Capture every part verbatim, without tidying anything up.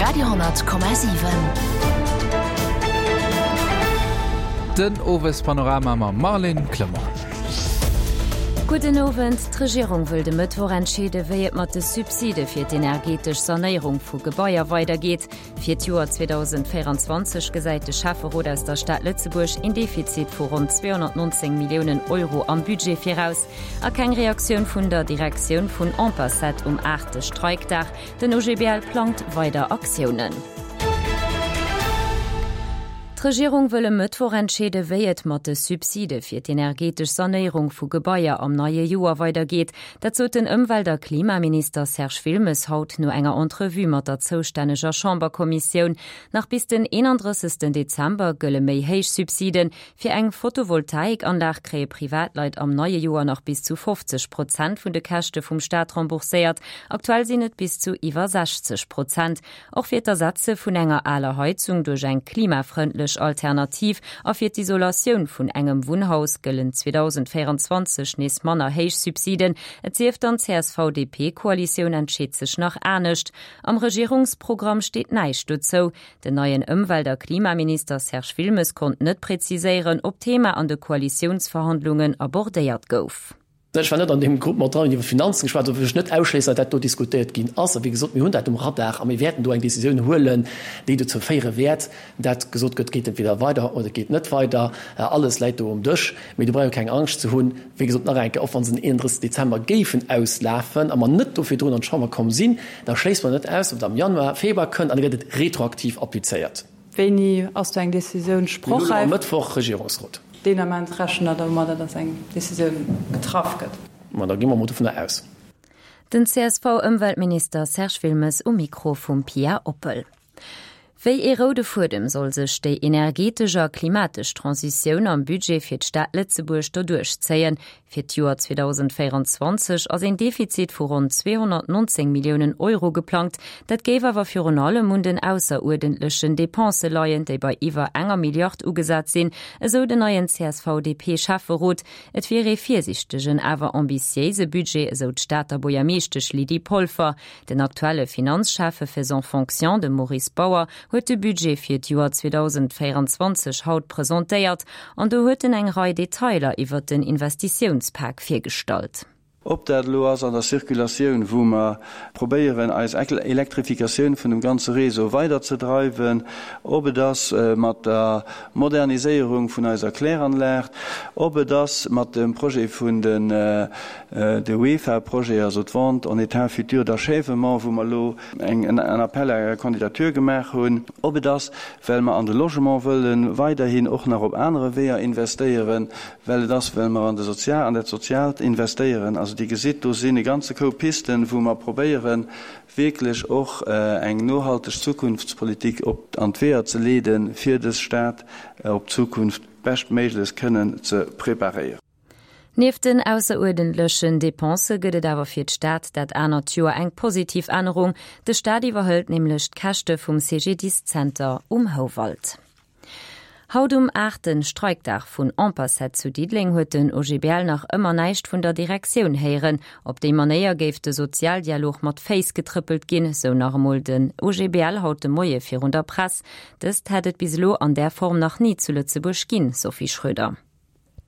Radio honnert Komma siwen. Den Owespanorama mam Marlène Clement. Gudden Owend. D'Regierung wëll de Mëttwoch entscheede wéi et mat de Subside fir d'energetesch Sanéierung vu Gebaier weidergeet. Fir d'Joer zweedausendvéieranzwanzeg gesäit de Schäfferot aus der Stad Lëtzebuerg een Defizit vu ronn zweehonnertnonzéng Milliounen Euro am Budget viraus. A keng Reaktioun vun der Direktioun vun Ampacet um aachte Streikdag. Den O G B L plangt weider Aktiounen. D'Regierung wëll e Mëttwoch entscheede wéi et mat de Subside fir d'energetesch Sanéierung vu Gebaier am neie Joer weidergeet. Dat sot den Ëmwelt a Klimaminister Serge Wilmes haut no enger Entrevue mat der zoustänneger Chamberkommissioun. Nach bis den eenandrëssegsten Dezember gëlle méi héich Subsiden. Fir eng Photovoltaikanlag kréie Privatleit am neie Joer nach bis zu fofzeg Prozent vun de Käschte vum Staat rembourséiert. Aktuell sinn et bis zu iwwer sechzeg Prozent. Och fir d'Ersetze vun enger aler Heizung duerch eng klimafrëndlech Alternativ a fir d'Isolatioun vun engem Wunnhaus gëllen zweedausendvéieranzwanzeg nees manner héich Subsiden. Et sief dann d'C S V D P-Koalitioun entscheet sech nach anescht. Am Regierungsprogramm steet näischt dozou. Den neien Ëmwelt a Klimaminister Serge Wilmes konnt net präziséieren, ob d'Thema an de Koalitiounsverhandlungen abordéiert gouf. Ech war net an deem Grupp mat dran, iwwer Finanzen geschwat, dofir wëll ech net ausschléissen, datt dat do diskutéiert ginn ass. A wéi gesot, mir hunn dat um Radar a mir wäerten do eng Décisioun huelen, déi dozou féiere wäert, dat gesot gëtt, et geet entweder weider oder et geet net weider. Alles läit do um Dësch. Mee do brauch ee keng Angscht ze hunn. Wéi gesot, nach eng Kéier, och wa se den eenandrëssegsten Dezember géifen auslafen a mer net do virdrun an d'Chamber komm sinn, da schléisse mer net aus, datt et am Januar, Februar kënnt an da gëtt et retroaktiv applizéiert. Wéini ass do eng Decisioun sprochräif? Mir hunn elo e Mëttwoch Regierungsrot. Deen Ament rechent Der domadder, datt eng Decisioun getraff gëtt? Ma da gi mer emol dovunner aus. Den C S V-Ëmweltminister Serge Wilmes um Mikro vum Pia Oppel. Wéi ee roude Fuedem soll sech déi energetesch a klimatesch Transitioun am Budget fir d'Stad Lëtzebuerg doduerch zéien? Fir d'Joer zweedausendvéieranzwanzeg ass een Defizit vu ronn zweehonnertnonzéng Milliounen Euro geplangt. Dat géif awer virun allem un den ausseruerdentlechen Depensë leien, déi bei iwwer enger Milliard ugesat sinn, esou den neien C S V D P-Schäfferot. Et wier ee virsiichtegen, awer ambitiéise Budget, esou d'Stater Buergermeeschtesch Lydie Polfer. Den aktuelle Finanzschäffe faisant fonction, de Maurice Bauer, huet de Budget fir d'Joer zweedausendvéieranzwanzeg haut presentéiert an do huet en eng Rei Detailer iwwer den Investitiounspak virgestallt. Ob dat elo ass an der Circulatioun, wou mer probéieren, eis Elektrifikatioun vun dem ganze Réseau weiderzedreiwen, ob et ass mat der Moderniséierung vun eiser Kläranlag, ob et ass mat dem Projet vun den de W E F A-Projet, also d'Vente en état futur d'achèvement, wou mer elo eng en Appel à candidature gemaach hunn, ob et ass, well mer an de Logement wëlle weiderhin och nach op anere Weeër investéieren, well et ass, well mer an de Sozial, an dat Soziaalt investéieren. Also Dir gesitt, do sinn e ganze Koup Pisten, wou mer probéieren, wierklech och eng nohalteg Zukunftspolitik op an d'Weeër ze leeden, fir dës Stad op d'Zukunft beschtméiglechst kënnen ze preparéieren. Nieft den ausseruerdentlechen Depensë gëtt et awer fir d'Stad dat anert Joer eng positiv Ännerung. De Staat iwwerhëlt nämlech d'Käschte vum C G D I S-Zenter um Houwald. Haut um aachten Streikdag vun Ampacet zu Diddeleng huet den O G B L nach ëmmer näischt vun der Direktioun héieren. Op déi Manéier géif de Sozialdialog mat Féiss getrëppelt ginn, sou nach emol den O G B L haut de Moie virun der Press. Dëst hätt et bis elo an där Form nach ni zu Lëtzebuerg ginn, Sophie Schröder.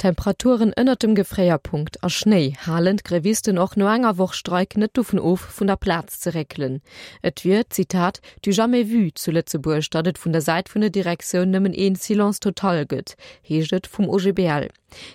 Temperaturen ënnert dem Gefréierpunkt a Schnéi halen d'Grevisten och no enger Woch Streik net dovun of vun der Plaz ze réckelen. Et wier, Zitat, du jamais vu zu Lëtzebuerg, datt et vun der Säit vun der Direktioun nëmmen een Silence total gëtt, heescht et vum O G B L.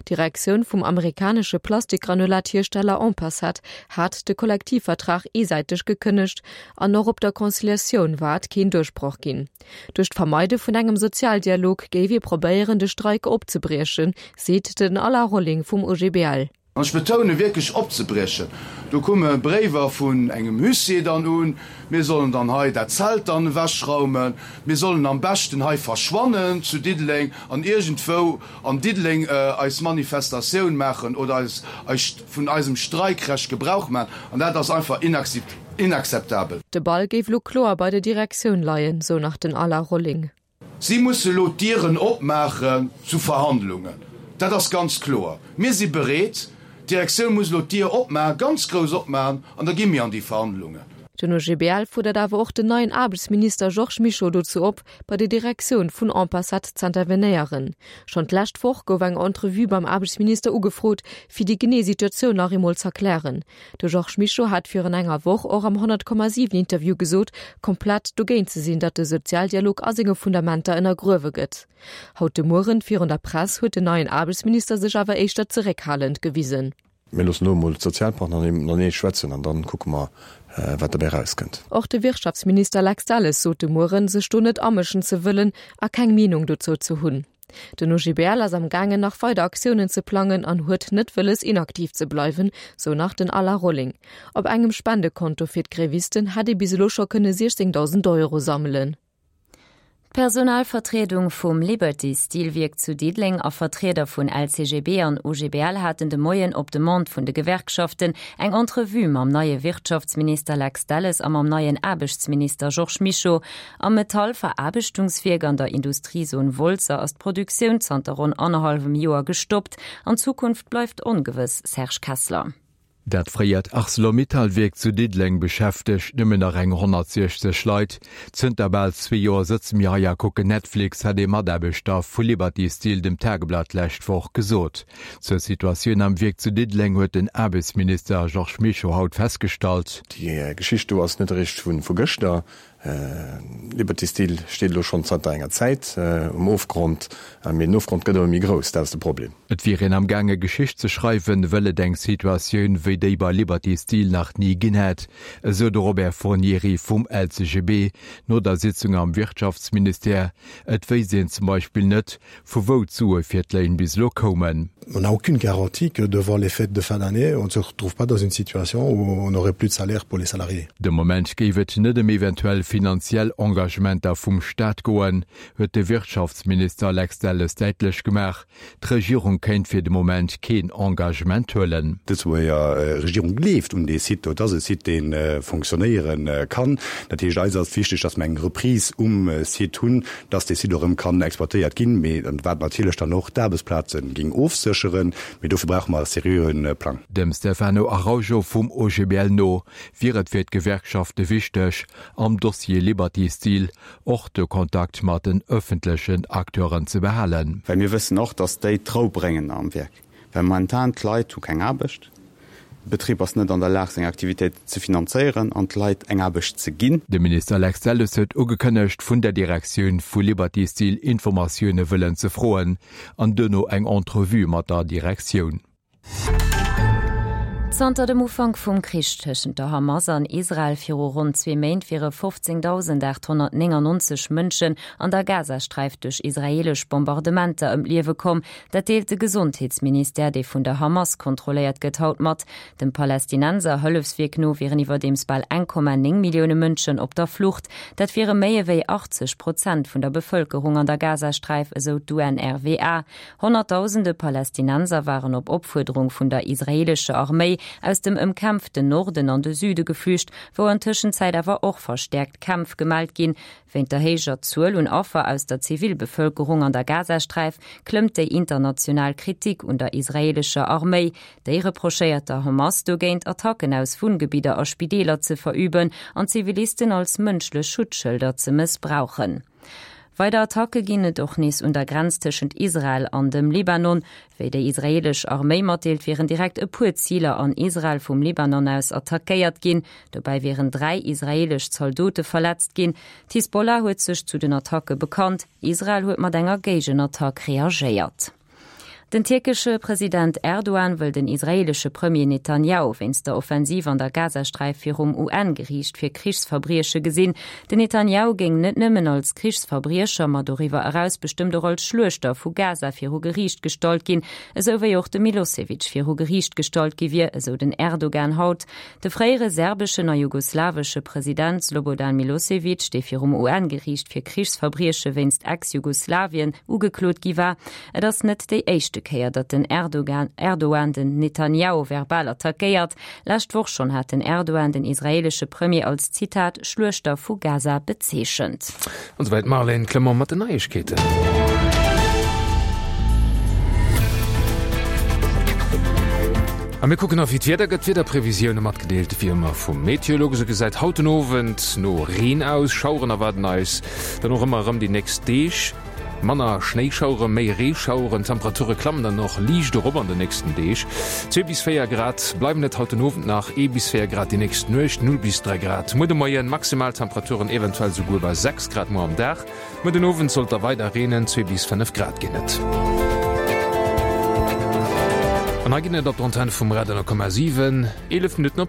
D'Direktioun vum amerikanesche Plastikgranulathiersteller Ampacet hat de Kollektivvertrag eesäiteg gekënnegt an och op der Conciliatioun war et keen Duerchbroch ginn. Duerch d'Vermeide vun engem Sozialdialog géif ee probéieren de Streik opzebriechen, seet den Alain Rolling vum O G B L. An ech betoune wierklech opzebriechen. Do komme Bréiwer vun engem Huissier dann un, mir sollen dann hei dat Zelt dann ewechraumen, mir sollen am beschten hei verschwannen zu Diddeleng an iergendwou an Diddeleng eis Manifestatioun maachen oder eis eis vun eisem Streikrecht Gebrauch maachen. An dat ass einfach inakzeptabel. De Ball géif lo kloer bei der Direktioun leien, sou nach den Alain Rolling. Si musse lo d'Dieren opmaachen zu Verhandlungen. Dat ass ganz kloer. Mir si bereet. D'Direktioun muss elo d'Dier opmaachen, ganz grouss opmaachen, an da gi mir an déi Verhandlungen. Den OGBL fuerdert awer och den neien Aarbechtsminister Georges Mischo dozou op, bei der Direktioun vun Ampacet z'intervenéieren. Schonn d'lescht Woch gouf eng Entrevue beim Aarbechtsminister ugefrot, fir déi genee Situatioun nach eemol z'erklären. De Georges Mischo hat virun enger Woch och am honnert Komma siwen Interview gesot, komplett dogéint ze sinn, datt de Sozialdialog a senge Fundamenter ënnergruewe gëtt. Haut de Mueren virun der Press huet den neien Aarbechtsminister sech awer éischter zeréckhalend gewisen. Mir loossen elo emol d'Sozialpartner matenee schwätzen an dann kucke mer, wat dobäi erauskënnt. Och de Wirtschaftsminister Lex Delles sot de Mueren, sech do net amëschen ze wëllen a keng Meenung dozou ze hunn. Den OGBL ass am gaangen nach weider Aktiounen ze plangen an huet net wëlles inaktiv ze bleiwen, sou nach den Alain Rolling. Op engem Spendekonto fir d'Grevisten hätt ee bis elo scho kënne siechzéngdausend Euro sammelen. D'Personalvertriedung vum Liberty Stilwierk zu Diddeleng a Vertrieder vun L C G B an O G B L haten de Moien op Demande vun de Gewerkschaften eng Entrevue mam neie Wirtschaftsminister Lex Delles a mam neien Aarbechtsminister Georges Mischo. Am Metallveraarbechtungswierk an der Industriezon Wolzer ass d'Produktioun zanter ronn annerhallwem Joer gestoppt. An d'Zukunft bleift ongewëss, Serge Kessler. Dat fréiert Arcelor-Mittal-Wierk zu Diddeleng beschäftegt nëmmen nach eng honnertsiechzeg Leit. Zënter bal zwee Joer sëtze mir hei a kucken Netflix, hat ee Mataarbechter vu Liberty Steel dem Tageblatt d'lescht Woch gesot. Zur Situatioun am Wierk zu Diddeleng huet den Aarbechtsminister Georges Mischo haut festgestallt. Déi Geschicht do ass net eréischt vu gëschter. Liberty Steel steet elo schonn zanter enger Zäit um Ofgrond, mee den Ofgrond gëtt ëmmer méi grouss, dat ass de Problem. Et wier een am gaange Geschicht ze schreiwen, wëll et eng Situatioun wéi déi bei Liberty Steel nach ni ginn hätt, esou de Robert Fornieri vum L C G B no der Sitzung am Wirtschaftsministère. Et wéisst een zum Beispill net, vu wou d'Sue fir d'Léin bis elo koumen. On n'a aucune garantie que devant les fêtes de fin d'année, on ne se retrouve pas dans une situation où on n'aurait plus de salaire pour les salariés. De Moment géif et net ëm eventuell finanziell Engagementer vum Staat goen, huet de Wirtschaftsminister Lex Delles däitlech gemaach. D'Regierung kéint fir de Moment keen Engagement huelen. D'Lëtzebuerger Regierung gleeft un dee Site do. Et ass e Site, dee fonctionnéiere kann. Dat heescht, eis ass wichteg, datt mer eng Reprise um Site hunn, datt dee Site och erëm kann exploitéiert ginn, mee wat natierlech dann och d'Aarbechtsplaze géing ofsécheren. Mee dofir brauche mer e seriöe Plang. Dem Stefano Araujo vum O G B L no wier et fir d'Gewerkschafte wichteg, am Dossier Liberty Steel och de Kontakt mat den ëffentlechen Acteuren ze behalen. Well mir wëssen och, datt déi d'Rou bréngen am Wierk. Well momentan d'Leit hu keng Aarbecht, de Betrib ass net an der Lag seng Aktivitéit ze finanzéieren an d'Leit eng Aarbecht ze ginn. De Minister Lex Delles huet ugekënnegt, vun der Direktioun vu Liberty Steel Informatioune wëllen ze froen an duerno eng Entrevue mat der Direktioun. Zanter dem Ufank vum Krich tëschent der Hamas an Israel viru ronn zwee Méint wiere fofzéngdausendaathonnertnéngannonzeg Mënschen an der Gazasträif duerch israeelesch Bombardementer ëm d'Liewe komm. Dat deelt de Gesondheetsministère, dee vun der Hamas kontrolléiert gëtt, haut mat. Dem Palästinenser Hëllefswierk no wieren iwwerdeems bal eng Komma néng Millioune Mënschen op der Flucht. Dat wiere méi ewéi achtzeg Prozent vun der Bevëlkerung an der Gazasträif, esou d'U N R W A. Honnertdausende Palästinenser waren op Opfuerderung vun der israeelescher Arméi aus dem ëmkämpften Norden an de Süde geflücht, wou an Tëschenzäit awer och verstäerkt Kämpf gemellt ginn. Wéint der héijer Zuel un Affer aus der Zivilbevëlkerung an der Gazasträif klëmmt déi international Kritik un der israeelescher Arméi. Déi reprochéiert der Hamas dogéint Attacken aus Wunngebidder a Spideeler ze verüben an Zivilisten als mënschlech Schutzschëlder ze mëssbrauchen. Weider Attacke ginn et och nees un der Grenz tëschent Israel an dem Libanon. Wéi déi israeelesch Arméi matdeelt, wieren direkt e puer Ziler an Israel vum Libanon aus attackéiert ginn. Dobäi wieren dräi israeelesch Zaldote verletzt ginn. D'Hisbollah huet sech zu den Attacke bekannt. Israel huet mat enger Géigenattack reagéiert. Den tierkesche President Erdogan wëll den israeelesche Premier Netanjahu wéinst der Offensiv an der Gazasträif virum U N-Geriicht fir Krichsverbrieche gesinn. Den Netanjahu géing net nëmmen als Krichsverbriecher, ma doriwwer eraus bestëmmt och als Schluechter vu Gaza viru Geriicht gestallt ginn, esou wéi och de Milosevic viru Geriicht gestallt gi wier, esou den Erdogan haut. De fréiere serbeschen a jugoslawesche President Slobodan Milosevic, dee virum U N-Geriicht fir Krichsverbrieche wéinst Ex-Jugoslawien ugeklot gi war, et ass net déi éischte Kéier, datt den Erdogan, Erdogan den Netanjahu verbal attackéiert. Lescht Woch schonn hat den Erdogan den israeelesche Premier als Zitat Schluechter vu Gaza bezeechent. An souwäit d'Marlène Clement mat den Neiegkeeten. A mir kucken nach wéi d'Wieder gëtt. D'Wiederprevisioune matgedeelt wéi ëmmer vum Meteolux. Et gesäit haut den Owend no Reen aus. Schaueren erwaarden eis dann och ëmmer erëm déi nächst Deeg. Manner Schnéischauere, méi Reeschaueren. D'Temperature klammen dann och liicht erop an de nächsten Deeg. Zwee bis véier Grad bleiwen et haut den Owend nach, ee bis véier Grad déi nächst Nuecht, null bis dräi Grad muer de Moien. Maximaltemperaturen eventuell souguer bei sechs Grad muer am Dag. Muer den Owend sollt da weider reenen, zwee bis fënnef Grad ginn et. An hei ginn et op der Antenn vum Radio Komma siwen eelef Minutten op.